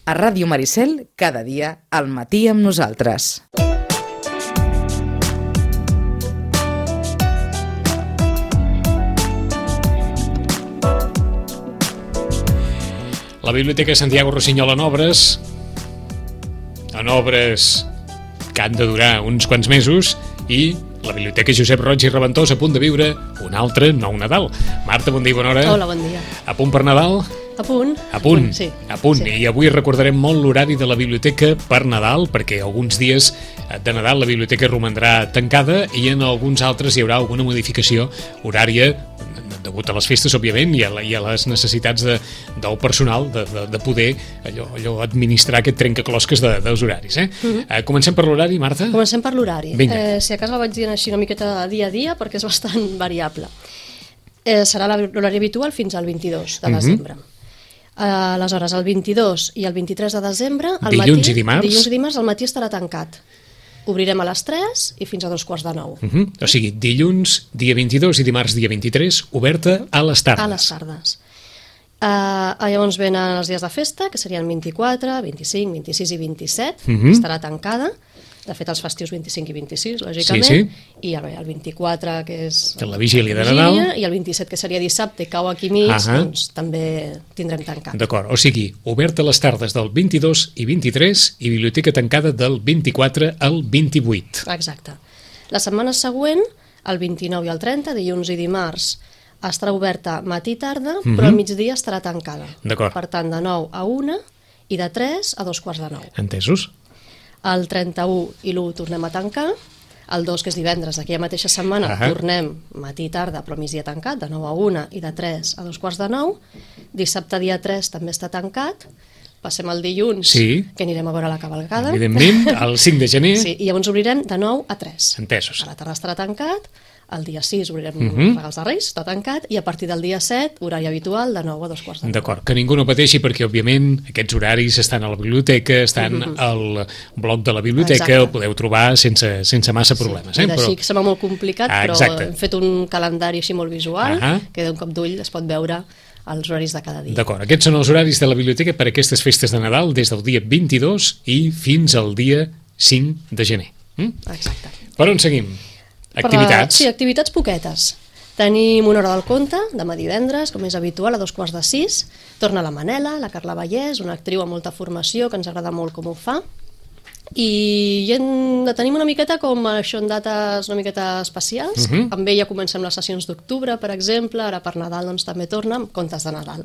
A Ràdio Maricel, cada dia al matí amb nosaltres. La Biblioteca Santiago Rossinyol en obres que han de durar uns quants mesos, i la Biblioteca Josep Roig i Reventós a punt de viure un altre nou Nadal. Marta, bon dia i bona hora. Hola, bon dia. A punt per Nadal? A punt. A punt, sí. A punt. Sí. I avui recordarem molt l'horari de la biblioteca per Nadal, perquè alguns dies de Nadal la biblioteca romandrà tancada i en alguns altres hi haurà alguna modificació horària degut a les festes, òbviament, i a les necessitats del personal de poder allò administrar aquest trencaclosques dels horaris. Comencem per l'horari, Marta? Comencem per l'horari. Vinga. Si a casa el vaig dient així una miqueta dia a dia, perquè és bastant variable. Serà l'horari habitual fins al 22 de desembre. Aleshores, el 22 i el 23 de desembre, dilluns i dimarts al matí estarà tancat. Obrirem a les 3 i fins a 2:45. O sigui, dilluns, dia 22 i dimarts, dia 23, oberta a les tardes. A les tardes. Llavors venen els dies de festa, que serien 24, 25, 26 i 27, estarà tancada. De fet, els festius 25 i 26, lògicament. Sí. I el 24, que és la vigília de Nadal. I el 27, que seria dissabte, i cau aquí mig, doncs també tindrem tancat. D'acord, o sigui, oberta les tardes del 22 i 23 i biblioteca tancada del 24 al 28. Exacte. La setmana següent, el 29 i el 30, dilluns i dimarts, estarà oberta matí i tarda, però al migdia estarà tancada. D'acord. Per tant, de 9 a 1 i de 3 a 2:45. Entesos? El 31 i l'1 tornem a tancar, el 2, que és divendres d'aquella mateixa setmana, tornem matí i tarda, però migdia tancat, de 9 a 1 i de 3 a 2:45. Dissabte, dia 3, també està tancat. Passem el dilluns, que anirem a veure la cavalcada. Evidentment, el 5 de gener. Sí, i llavors obrirem de 9 a 3. Entesos. A la tarda estarà tancat, el dia 6 obrirem regals de Reis, està tancat, i a partir del dia 7, horari habitual, de 9 a 2:45. D'acord, que ningú no pateixi, perquè òbviament aquests horaris estan a la biblioteca, estan al blog de la biblioteca, el podeu trobar sense massa problemes. I d'així que sembla molt complicat, però hem fet un calendari així molt visual, que d'un cop d'ull es pot veure els horaris de cada dia. D'acord, aquests són els horaris de la biblioteca per aquestes festes de Nadal, des del dia 22 i fins al dia 5 de gener. Exacte. Per on seguim? Activitats? Sí, activitats poquetes. Tenim una hora del conte, demà divendres, com és habitual, a 5:45. Torna la Manela, la Carla Vallès, una actriu amb molta formació, que ens agrada molt com ho fa. I tenim una miqueta com això en dates una miqueta especials. Amb ella comencem les sessions d'octubre, per exemple, ara per Nadal doncs, també torna amb contes de Nadal.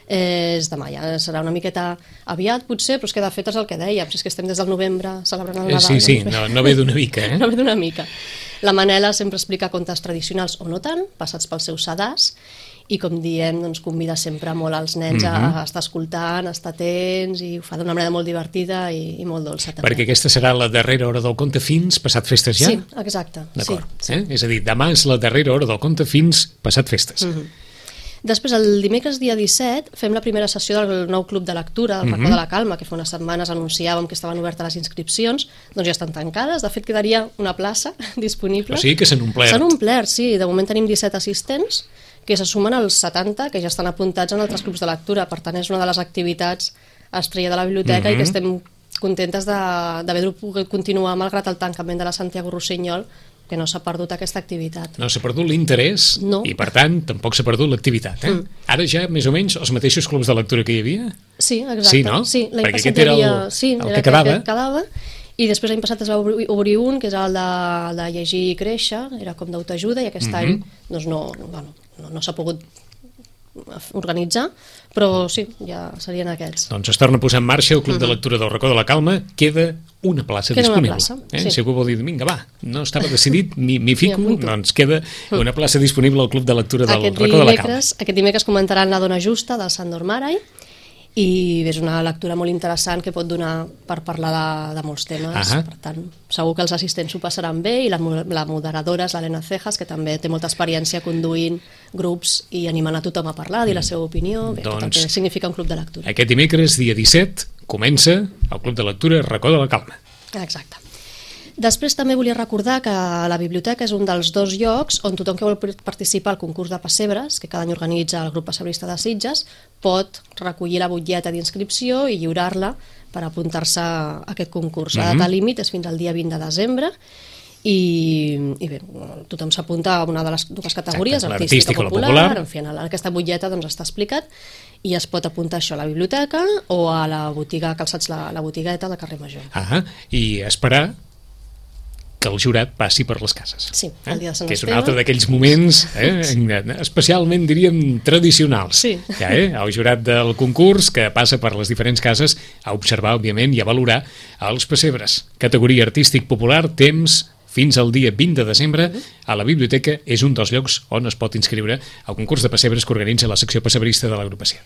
És demà, ja serà una miqueta aviat potser, però és que de fet és el que dèiem, si és que estem des del novembre celebrant el Nadal. Sí, no ve d'una mica. No ve d'una mica. La Manela sempre explica contes tradicionals o no tant, passats pels seus sedars, i com diem, doncs, convida sempre molt als nens a estar escoltant, a estar atents, i ho fa d'una manera molt divertida i molt dolça també. Perquè aquesta serà la darrera hora del conte fins passat festes ja? Sí, exacte. D'acord. És a dir, demà és la darrera hora del conte fins passat festes. Després, el dimecres dia 17, fem la primera sessió del nou club de lectura, del Racó de la Calma, que fa unes setmanes anunciàvem que estaven obertes les inscripcions, doncs ja estan tancades. De fet, quedaria una plaça disponible. O sigui que s'han omplert. S'han omplert, sí. De moment tenim 17 assistents, que se sumen als 70 que ja estan apuntats en altres clubs de lectura. Per tant, és una de les activitats estrella de la biblioteca i que estem contentes d'haver pogut continuar malgrat el tancament de la Santiago Rossinyol, que no s'ha perdut aquesta activitat. No s'ha perdut l'interès i, per tant, tampoc s'ha perdut l'activitat. Ara ja, més o menys, els mateixos clubs de lectura que hi havia? Sí, exacte. Sí, no? Sí, perquè aquest era el que quedava. I després l'any passat es va obrir un, que és el de llegir i créixer, era com d'autoajuda, i aquest any doncs no s'ha pogut organitzar, però sí, ja serien aquests. Doncs es torna a posar en marxa el Club de Lectura del Racó de la Calma. Queda una plaça disponible. Si algú vol dir, vinga, va, no estava decidit, m'hi fico, doncs queda una plaça disponible al Club de Lectura del Racó de la Calma. Aquest dimecres comentaran La dona justa, del Sandor Maray, i és una lectura molt interessant que pot donar per parlar de molts temes. Per tant, segur que els assistents ho passaran bé, i la moderadora és l'Helena Cejas, que també té molta experiència conduint grups i animant a tothom a parlar, a dir la seva opinió, tot el que significa un club de lectura. Aquest dimecres, dia 17, comença el Club de Lectura Racó de la Calma. Exacte. Després també volia recordar que la biblioteca és un dels 2 llocs on tothom que vol participar al concurs de pessebres, que cada any organitza el grup pessebrista de Sitges, pot recollir la butlleta d'inscripció i lliurar-la per apuntar-se a aquest concurs. La data límit és fins al dia 20 de desembre i bé, tothom s'apunta a una de les 2 categories, artística o popular. En fi, en aquesta butlleta doncs, està explicat i es pot apuntar això a la biblioteca o a la botiga Calçats la Botigueta de Carrer Major. I esperar que el jurat passi per les cases. Sí, el dia de Sant que és un altre d'aquells moments especialment, diríem, tradicionals. Sí. El jurat del concurs que passa per les diferents cases a observar, òbviament, i a valorar els pessebres. Categoria artístic popular, temps fins al dia 20 de desembre a la biblioteca. És un dels llocs on es pot inscriure al concurs de pessebres que organitza la secció pessebrista de l'agrupació.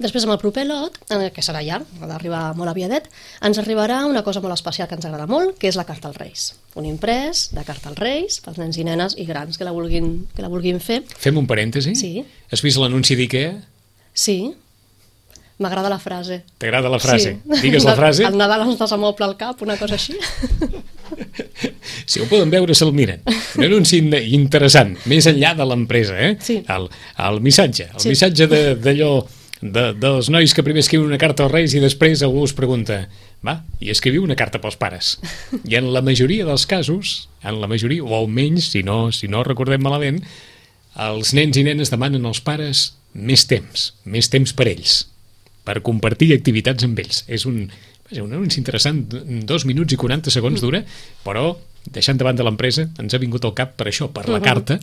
Després, amb el proper lot, que serà llarg, ha d'arribar molt aviadet, ens arribarà una cosa molt especial que ens agrada molt, que és la carta als Reis. Un imprès de carta als Reis pels nens i nenes i grans que la vulguin fer. Fem un parèntesi? Sí. Has vist l'anunci d'IKEA? Sí. M'agrada la frase. T'agrada la frase? Sí. Digues la frase. El Nadal ens desamoble al cap, una cosa així. Si ho poden veure, se'l miren. Un anunci interessant, més enllà de l'empresa, Sí. El missatge. El missatge d'allò dels nois que primer escriuen una carta als Reis i després algú us pregunta i escriviu una carta pels pares. I en la majoria dels casos, o almenys, si no recordem malament, els nens i nenes demanen als pares més temps per ells, per compartir activitats amb ells. És un anunci interessant, 2 minuts i 40 segons dura, però deixant de banda l'empresa, ens ha vingut al cap per això, per la carta,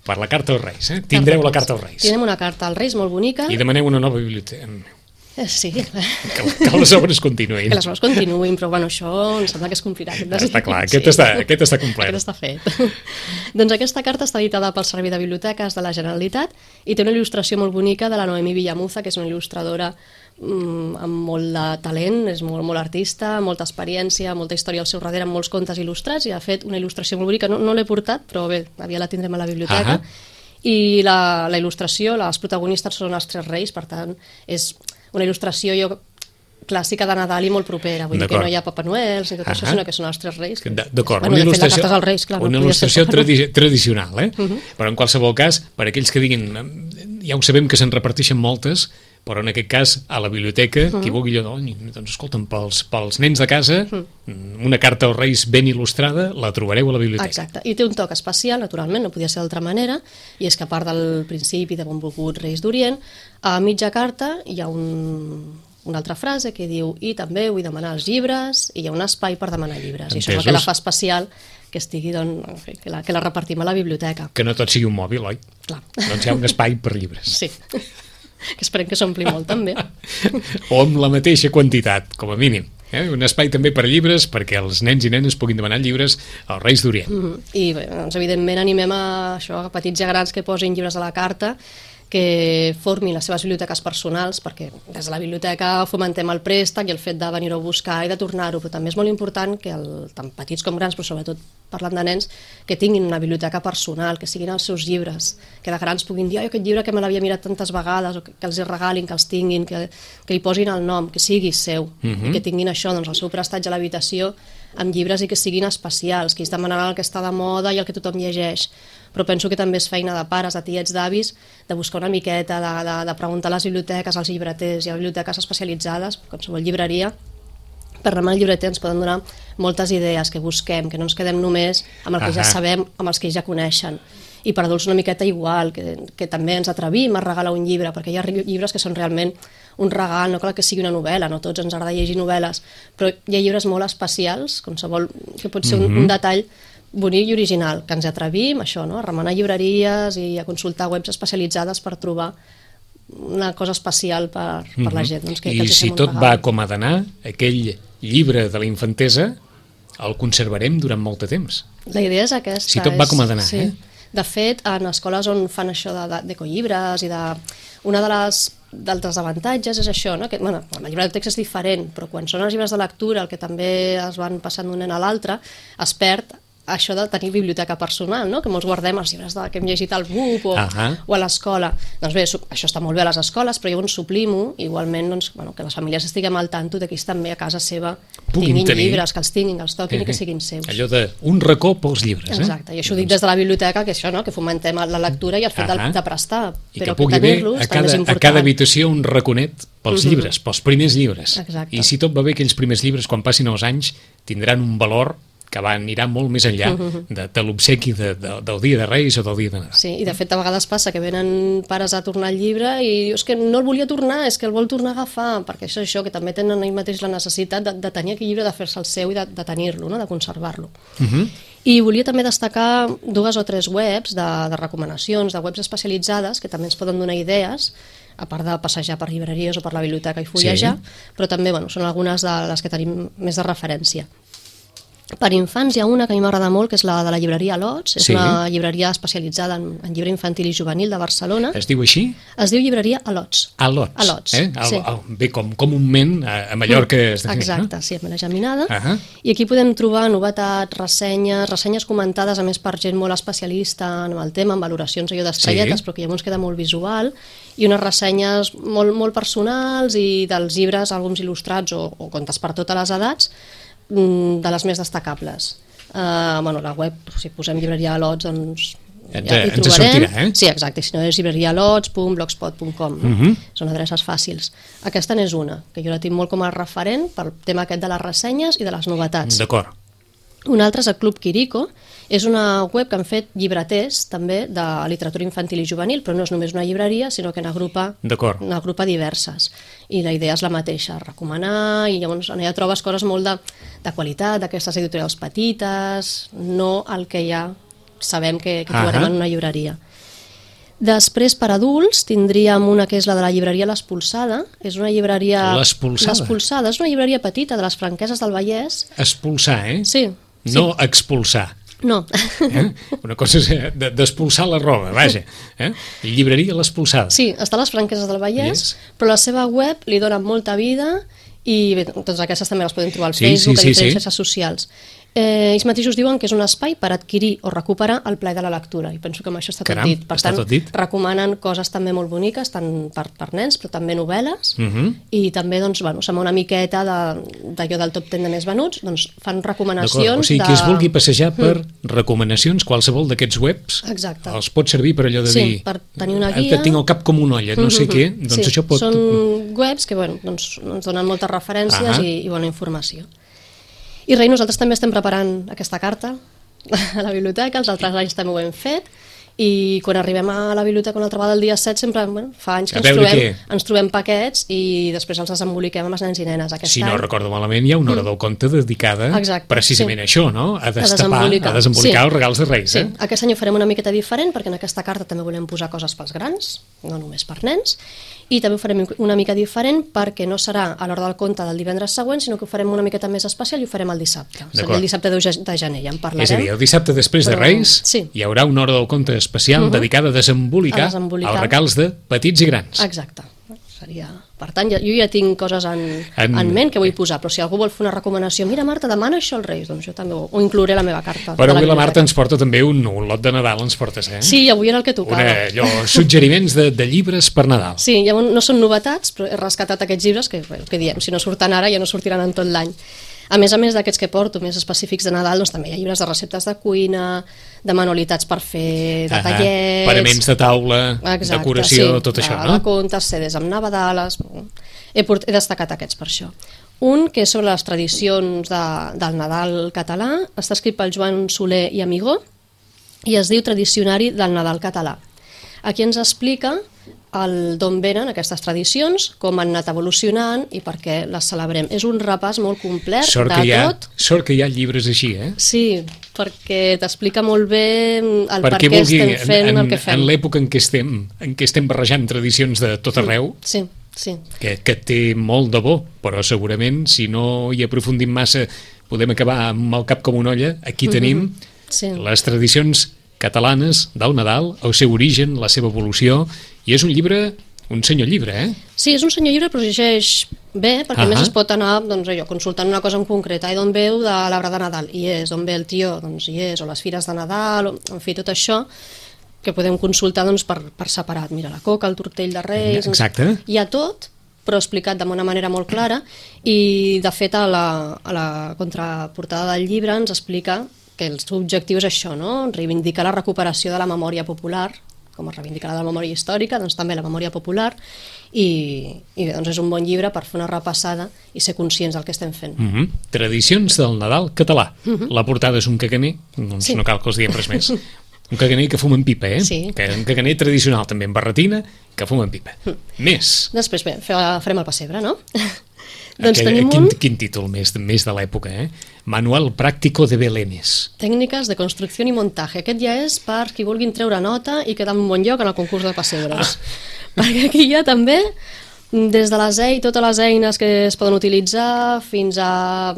per la carta als Reis. Tindreu la carta als Reis. Tindrem una carta als Reis molt bonica. I demaneu una nova biblioteca. Sí. Que les obres continuïn. Que les obres continuïn, però bueno, això em sembla que es complirà. Està clar, aquest està complet. Aquest està fet. Doncs aquesta carta està editada pel Servei de Biblioteques de la Generalitat i té una il·lustració molt bonica de la Noemí Villamuza, que és una il·lustradora amb molt de talent, és molt artista, molta experiència, molta història al seu darrere, amb molts contes il·lustrats, i ha fet una il·lustració molt bonica. No l'he portat, però bé, aviat la tindrem a la biblioteca. I la il·lustració, les protagonistes són els 3 reis, per tant, és una il·lustració clàssica de Nadal i molt propera, vull dir que no hi ha Papa Noel ni tot això, sinó que són els 3 reis. D'acord, una il·lustració tradicional, però en qualsevol cas, per aquells que diguin, ja ho sabem que se'n reparteixen moltes, però en aquest cas a la biblioteca, qui vulgui allò, doncs escolta'm, pels nens de casa, una carta als Reis ben il·lustrada, la trobareu a la biblioteca. Exacte, i té un toc especial, naturalment, no podia ser d'altra manera, i és que a part del principi de Benvolguts Reis d'Orient, a mitja carta hi ha una altra frase que diu: i també vull demanar els llibres, i hi ha un espai per demanar llibres. I això és el que la fa especial, que estigui, doncs, que la repartim a la biblioteca. Que no tot sigui un mòbil, oi? Clar. Doncs hi ha un espai per llibres. Sí. Que esperem que s'ompli molt, també. O amb la mateixa quantitat, com a mínim. Un espai també per llibres, perquè els nens i nenes puguin demanar llibres als Reis d'Orient. I, doncs, evidentment, animem a petits i grans que posin llibres a la carta, que formin les seves biblioteques personals, perquè des de la biblioteca fomentem el préstec i el fet de venir-ho a buscar i de tornar-ho, però també és molt important que tant petits com grans, però sobretot parlant de nens, que tinguin una biblioteca personal, que siguin els seus llibres, que de grans puguin dir: aquest llibre que me l'havia mirat tantes vegades, o que els regalin, que els tinguin, que li posin el nom, que sigui seu, i que tinguin això, doncs, el seu prestatge a l'habitació amb llibres i que siguin especials, que ells demanaran el que està de moda i el que tothom llegeix. Però penso que també és feina de pares, de tiets, d'avis, de buscar una miqueta, de preguntar a les biblioteques, als llibreters, hi ha biblioteques especialitzades, qualsevol llibreria, per anar al llibreter ens poden donar moltes idees que busquem, que no ens quedem només amb el que ja sabem, amb els que ja coneixen. I per adults una miqueta igual, que també ens atrevim a regalar un llibre, perquè hi ha llibres que són realment un regal, no cal que sigui una novel·la, no tots ens agrada llegir novel·les, però hi ha llibres molt especials, que pot ser un detall bonic i original, que ens atrevim això, no? A remenar llibreries i a consultar webs especialitzades per trobar una cosa especial per la gent. Doncs, I si tot va com ha d'anar, aquell llibre de la infantesa el conservarem durant molt de temps. La idea és aquesta. Si tot va com ha d'anar, De fet, en escoles on fan això d'ecollibres i una d'altres avantatges és això, no? Que, bueno, el llibre de text és diferent, però quan són els llibres de lectura, el que també es van passant d'un nen a l'altre, es perd això de tenir biblioteca personal, no? Que molts guardem els llibres que hem llegit al BUP o a l'escola. Doncs bé, això està molt bé a les escoles, però llavors suplim-ho, igualment doncs, que les famílies estiguem al tanto de que ells també a casa seva tinguin llibres, que els tinguin, que els toquin i que siguin seus. Allò d'un racó pels llibres. Exacte, i això ho dic des de la biblioteca, que això, que fomentem la lectura i el fet de prestar, però que tenir-los també és important. A cada habitació un raconet pels llibres, pels primers llibres. I si tot va bé, aquells primers llibres, quan passin els anys, tindran un valor que anirà molt més enllà de l'obsequi del dia de Reis o del dia de Nadal. Sí, i de fet a vegades passa que venen pares a tornar el llibre i dius que no el volia tornar, és que el vol tornar a agafar, perquè això que també tenen ells mateix la necessitat de tenir aquell llibre, de fer-se el seu i de tenir-lo, de conservar-lo. I volia també destacar 2 o 3 webs de recomanacions, de webs especialitzades que també ens poden donar idees, a part de passejar per llibreries o per la biblioteca i fullejar, però també són algunes de les que tenim més de referència. Per infants hi ha una que a mi m'agrada molt, que és la de la llibreria Lots, és una llibreria especialitzada en llibre infantil i juvenil de Barcelona. Es diu així? Es diu llibreria Alots. Alots, bé, com comúment a Mallorca es defineix, no? Exacte, sí, amb la geminada. I aquí podem trobar novetats, ressenyes comentades, a més per gent molt especialista en el tema, amb valoracions allò d'estrelletes, però que llavors queda molt visual, i unes ressenyes molt personals i dels llibres, alguns il·lustrats o contes per totes les edats, de les més destacables. La web, si posem llibreria Lots, doncs ja hi trobarem. Sortirà, Sí, exacte, si no és llibrerialots.blogspot.com. Són adreces fàcils. Aquesta n'és una, que jo la tinc molt com a referent pel tema aquest de les ressenyes i de les novetats. D'acord. Un altre és el Club Quirico, és una web que han fet llibreters també de literatura infantil i juvenil, però no és només una llibreria, sinó que n'agrupa diverses. I la idea és la mateixa, recomanar, i llavors allà trobes coses molt de qualitat, d'aquestes editorials petites, no el que ja sabem que trobarem en una llibreria. Després, per adults, tindríem una que és la de la llibreria L'Espolsada. És una llibreria... L'Espolsada és una llibreria petita de les Franqueses del Vallès. Expulsar, Sí. No expulsar. No. Una cosa és d'expulsar la roba, vaja. Llibreria L'Espolsada. Sí, està a les Franqueses del Vallès, però la seva web li dona molta vida i bé, totes aquestes també les podem trobar al Facebook, a diferents xarxes socials. Ells mateixos diuen que és un espai per adquirir o recuperar el plaer de la lectura, i penso que amb això està tot dit. Per tant, recomanen coses també molt boniques, tant per nens, però també novel·les, i també sembla una miqueta d'allò del top 10 de més venuts, doncs fan recomanacions. O sigui, qui es vulgui passejar per recomanacions, qualsevol d'aquests webs, els pot servir per allò de dir... Sí, per tenir una guia... Tinc el cap com una olla, no sé què, doncs això pot... Són webs que ens donen moltes referències i bona informació. I res, nosaltres també estem preparant aquesta carta a la biblioteca, els altres anys també ho hem fet, i quan arribem a la biblioteca una altra vegada el dia 7 sempre, fa anys que ens trobem paquets i després els desemboliquem amb els nens i nenes. Si no recordo malament, hi ha una hora del conte dedicada precisament a això, no? A destapar, a desembolicar els regals de Reis. Sí, aquest any ho farem una miqueta diferent perquè en aquesta carta també volem posar coses pels grans, no només per nens, i també ho farem una mica diferent perquè no serà a l'hora del conte del divendres següent, sinó que ho farem una miqueta més especial i ho farem el dissabte. Seria el dissabte de gener, ja en parlarem. És a dir, el dissabte després de Reis hi haurà una hora del conte especial dedicada a desembolicar els regals de petits i grans. Exacte. Per tant, jo ja tinc coses en ment que vull posar, però si algú vol fer una recomanació, mira Marta, demana això als Reis, doncs jo també ho inclouré a la meva carta. Però avui la Marta ens porta també un lot de Nadal, ens portes, eh? Sí, avui era el que tocava. Suggeriments de llibres per Nadal. Sí, no són novetats, però he rescatat aquests llibres que diem, si no surten ara ja no sortiran en tot l'any. A més d'aquests que porto, més específics de Nadal, doncs també hi ha llibres de receptes de cuina, de manualitats per fer detallets... Paraments de taula, decoració, tot això, no? Contes, CDs amb Nadales... He destacat aquests per això. Un que és sobre les tradicions del Nadal català, està escrit pel Joan Soler i Amigó, i es diu Tradicionari del Nadal català. Aquí ens explica d'on venen aquestes tradicions, com han anat evolucionant i per què les celebrem. És un repàs molt complet de tot. Sort que hi ha llibres així, eh? Sí, perquè t'explica molt bé el per què estem fent el que fem. En l'època en què estem barrejant tradicions de tot arreu, sí. Que té molt de bo, però segurament si no hi aprofundim massa podem acabar amb el cap com una olla. Aquí tenim les tradicions catalanes del Nadal, el seu origen, la seva evolució, i és un llibre, un senyor llibre, eh? Sí, és un senyor llibre, però llegeix bé, perquè a més es pot anar consultant una cosa en concret, d'on veu de l'arbre de Nadal, hi és, d'on ve el tió, doncs hi és, o les fires de Nadal, en fi, tot això que podem consultar per separat. Mira, la coca, el tortell de Reis... Exacte. Hi ha tot, però explicat d'una manera molt clara, i de fet a la contraportada del llibre ens explica que el seu objectiu és això, no? Reivindicar la recuperació de la memòria popular, com es reivindica la memòria històrica, doncs també la memòria popular, i bé, doncs és un bon llibre per fer una repassada i ser conscients del que estem fent. Tradicions del Nadal català. La portada és un caganer, doncs no cal que els diguem res més. Un caganer que fuma en pipa, Sí. Un caganer tradicional també, amb barretina, que fuma en pipa. Més. Després, bé, farem el pessebre, no? Doncs tenim Quin títol més de l'època, Manual Práctico de Belenes. Tècniques de construcció i muntatge. Aquest ja és per qui vulguin treure nota i quedar en un bon lloc en el concurs de pessebres. Perquè aquí hi ha també, des de totes les eines que es poden utilitzar, fins a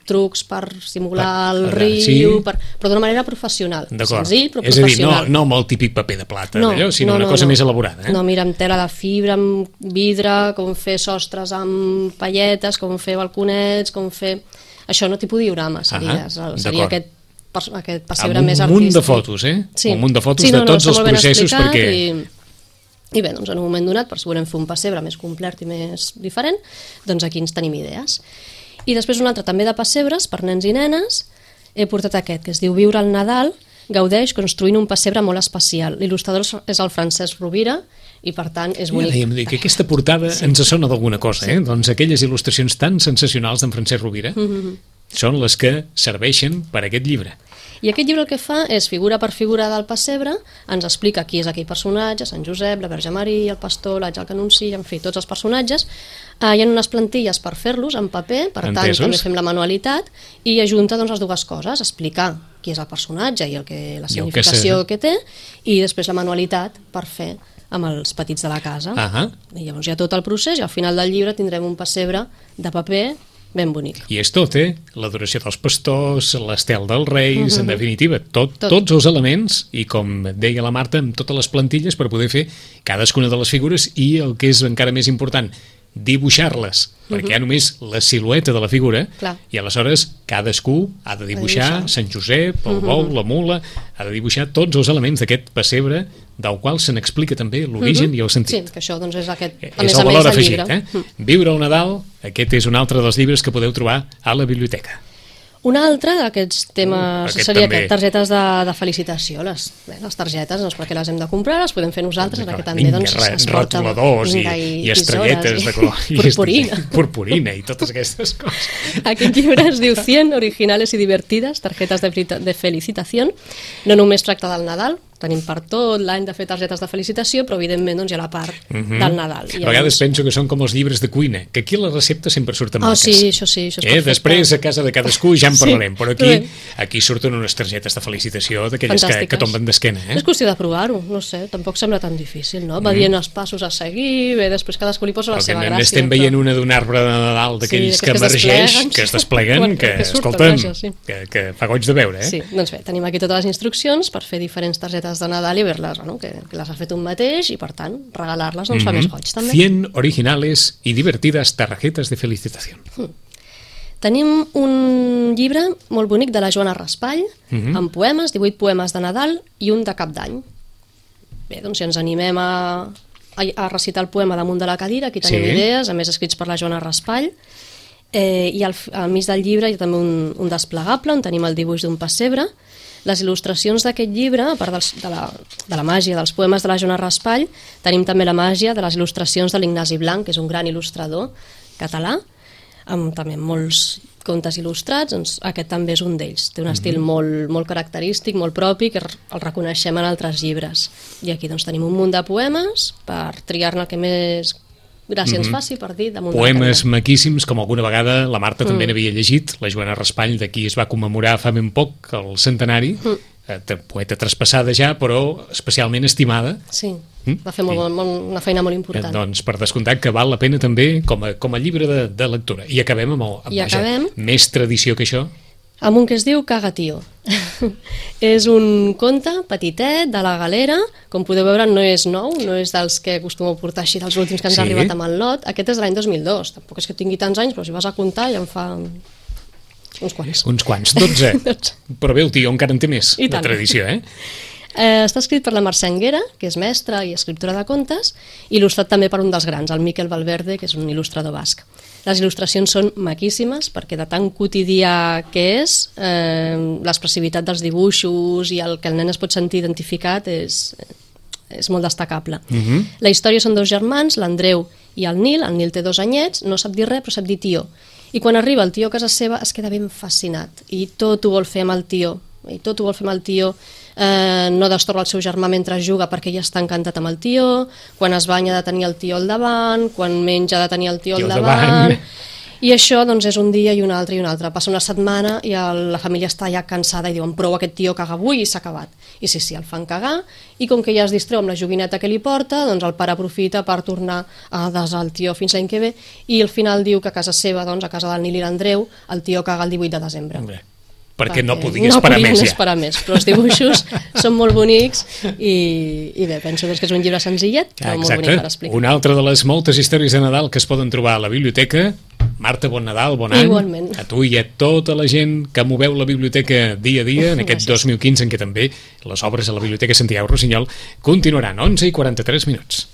trucs per simular el riu, però d'una manera professional. Senzill, però professional. És a dir, no amb el típic paper de plata, sinó una cosa més elaborada. No, mira, amb tela de fibra, amb vidre, com fer sostres amb palletes, com fer balconets, com fer... Això no tipus diorama, seria aquest pessebre més artístic. Amb un munt de fotos, un munt de fotos de tots els processos, perquè... I bé, doncs en un moment donat, per si volem fer un pessebre més complet i més diferent, doncs aquí ens tenim idees. I després un altre també de pessebres per nens i nenes, he portat aquest, que es diu Viure el Nadal, gaudeix construint un pessebre molt especial. L'il·lustrador és el Francesc Rovira i per tant és bonic. Ja dèiem que aquesta portada ens sona d'alguna cosa, doncs aquelles il·lustracions tan sensacionals d'en Francesc Rovira són les que serveixen per a aquest llibre. I aquest llibre el que fa és, figura per figura del pessebre, ens explica qui és aquell personatge, Sant Josep, la Verge Maria, el pastor, l'àngel que anuncia, en fi, tots els personatges. Hi ha unes plantilles per fer-los en paper, per tant també fem la manualitat, i ajunta les dues coses, explicar qui és el personatge i la significació que té, i després la manualitat per fer amb els petits de la casa. I llavors hi ha tot el procés, i al final del llibre tindrem un pessebre de paper ben bonic. I és tot, l'adoració dels pastors, l'estel dels reis, en definitiva, tots els elements, i com deia la Marta, amb totes les plantilles per poder fer cadascuna de les figures i el que és encara més important, dibuixar-les, perquè hi ha només la silueta de la figura. I aleshores cadascú ha de dibuixar Sant Josep, el bou, la mula, ha de dibuixar tots els elements d'aquest pessebre, del qual se n'explica també l'origen i el sentit. Sí, que això doncs, és aquest, a més a més del llibre. Viure el Nadal, aquest és un altre dels llibres que podeu trobar a la biblioteca. Un altre d'aquests temes seria aquest, targetes de felicitació. Les targetes, doncs perquè les hem de comprar, les podem fer nosaltres, perquè també es porta retoladors i estrelletes de color, purpurina i totes aquestes coses. Aquest llibre es diu 100 originales y divertidas tarjetas de felicitación. No només tracta del Nadal, tenim per tot l'any de fer targetes de felicitació, però evidentment hi ha la part del Nadal. A vegades penso que són com els llibres de cuina, que aquí les receptes sempre surten marques. Sí, això és perfecte. Després a casa de cadascú ja en parlarem, però aquí surten unes targetes de felicitació d'aquelles que tomben d'esquena. És qüestió de provar-ho, no sé, tampoc sembla tan difícil, no? Va dient els passos a seguir, bé, després cadascú li posa la seva gràcia. Estem veient una d'un arbre de Nadal d'aquells que emergeix, que es despleguen, que, escolta'm, que fa goig de veure. Sí, doncs bé, tenim aquí totes les instruccions per fer diferents targetes de Nadal i veure-les, que les ha fet un mateix i per tant regalar-les fa més goig també. 100 originales y divertidas tarjetas de felicitación. Tenim un llibre molt bonic de la Joana Raspall amb poemes, 18 poemes de Nadal i un de Cap d'Any. Bé, doncs si ens animem a recitar el poema damunt de la cadira, aquí tenim idees, a més escrits per la Joana Raspall, i al mig del llibre hi ha també un desplegable on tenim el dibuix d'un pessebre. Les il·lustracions d'aquest llibre, a part de la màgia dels poemes de la Joana Raspall, tenim també la màgia de les il·lustracions de l'Ignasi Blanc, que és un gran il·lustrador català, amb també molts contes il·lustrats, doncs aquest també és un d'ells. Té un estil molt característic, molt propi, que el reconeixem en altres llibres. I aquí doncs tenim un munt de poemes per triar-ne el que més gràcia ens faci, per dir, damunt de la cadira. Poemes maquíssims, com alguna vegada la Marta també n'havia llegit, la Joana Raspall, d'aquí es va commemorar fa ben poc el centenari, poeta traspassada ja, però especialment estimada. Sí, va fer una feina molt important. Doncs per descomptat que val la pena també com a llibre de lectura. I acabem amb més tradició que això. amb un que es diu Caga Tio. És un conte petitet de la Galera, com podeu veure no és nou, no és dels que acostumo a portar així dels últims que ens ha arribat amb el lot, aquest és de l'any 2002, tampoc és que tingui tants anys, però si vas a comptar ja en fa uns quants. Uns quants, 12. Però bé, el tio encara en té més de tradició, Està escrit per la Mercè Anguera, que és mestra i escriptora de contes, i il·lustrat també per un dels grans, el Miquel Valverde, que és un il·lustrador basc. Les il·lustracions són maquíssimes, perquè de tan quotidià que és, l'expressivitat dels dibuixos i el que el nen es pot sentir identificat és molt destacable. La història són dos germans, l'Andreu i el Nil té 2 anyets, no sap dir res, però sap dir tio. I quan arriba el tio a casa seva es queda ben fascinat, i tot ho vol fer amb el tio, no destorba el seu germà mentre juga perquè ja està encantat amb el tio, quan es banya ha de tenir el tio al davant, quan menja ha de tenir el tio al davant. I això doncs, és un dia i un altre i un altre. Passa una setmana i la família està ja cansada i diuen prou aquest tio caga avui i s'ha acabat. I sí, el fan cagar i com que ja es distreu amb la joguineta que li porta, doncs el pare aprofita per tornar a desar el tio fins l'any que ve i al final diu que a casa seva, doncs, a casa del Nil i l'Andreu, el tio caga el 18 de desembre. Perquè no podien esperar més, però els dibuixos són molt bonics i bé, penso que és un llibre senzillet, però molt bonic per explicar. Una altra de les moltes històries de Nadal que es poden trobar a la biblioteca. Marta, bon Nadal, bon any. Igualment. A tu i a tota la gent que moveu la biblioteca dia a dia, en aquest 2015 en què també les obres a la Biblioteca Santiago Rossinyol continuaran. 11:43.